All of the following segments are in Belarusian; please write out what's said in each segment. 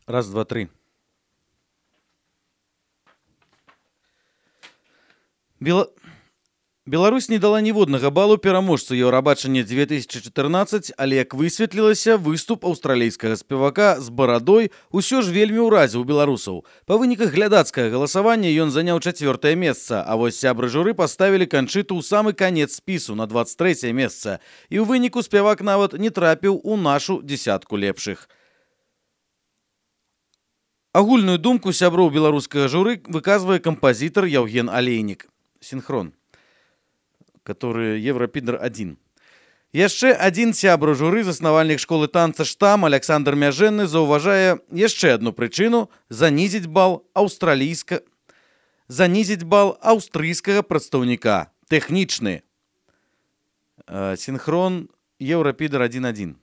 Раз, два, три. Беларусь не дала ніводнага балу пераможцу Еўрабачання 2014, але, як высветлілася, выступ аўстралійскага спевака з барадой усё ж вельмі ўразіў беларусаў. Па выніках глядацкага галасавання ён заняў 4-е месца, а вось сябры журы паставілі Канчыту ў самы канец спісу на 23-е месца. І ў выніку спевак нават не трапіў у нашу дзесятку лепшых. Агульную думку сяброў беларускага журы выказвае кампазітар Яўген Алейнік. Синхрон, который Европидер 1. Яшчэ адзін сябра журы, заснавальнік школы танца «Штам» Александр Мяжэнны заўважае яшчэ адну прычыну занізіць бал аўстрыйскага прадстаўніка. Тэхнічны. Синхрон Европидер 1.1.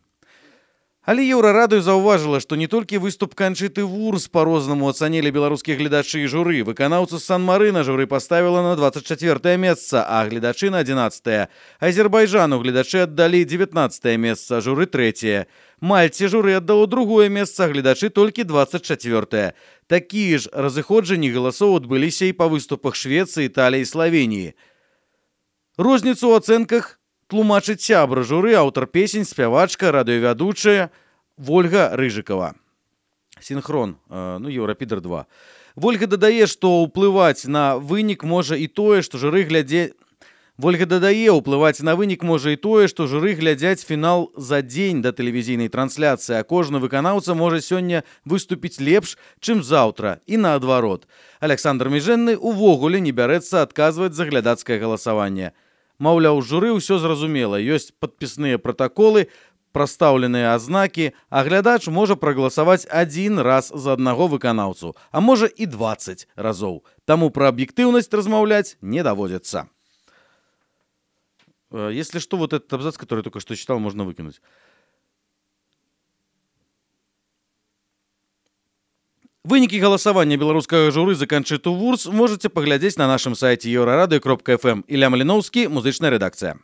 Але Еўрарадыё заўважыла, што не толькі выступ Канчыты Вурс па-рознаму ацанілі беларускія гледачы і журы. Выканаўцу з Сан-Марына журы паставіла на 24-е месца, а гледачы на 11-е. Азербайджану гледачы аддалі 19-е месца, журы 3-е. Мальце журы аддало 2-е месца, а гледачы толькі 24-е. Такія ж разыходжанні галасоў адбыліся і па выступах Швецыі, Італіі і Славеніі. Розніцу ў ацэнках тлумачыць сябра журы, аўтар песень, спявачка, радыёвядучая Вольга Рыжыкова. Синхрон, Еўрапідер 2. Вольга дадае, што ўплываць на вынік можа і тое, што журы глядзяць фінал за дзень да тэлевізійнай трансляцыі, а кожны выканаўца можа сёння выступіць лепш, чым заўтра, і наадварот. Александр Мяжэнны увогуле не бярэцца адказваць за глядацкае галасаванне. Маўляў, журы ўсё зразумела, ёсць падпісныя пратаколы, прастаўленыя азнакі, а глядач можа прагаласаваць адзін раз за аднаго выканаўцу, а можа і 20 разоў. Таму пра аб'ектыўнасць размаўляць не даводзіцца. Если что, вот этот абзац, который я только что читал, можно выкинуть. Вынікі галасавання беларускага журы за Канчыту Вурс можаце паглядзець на нашым сайце euraradio.fm. Ілля Маліноўскі, музычная рэдакцыя.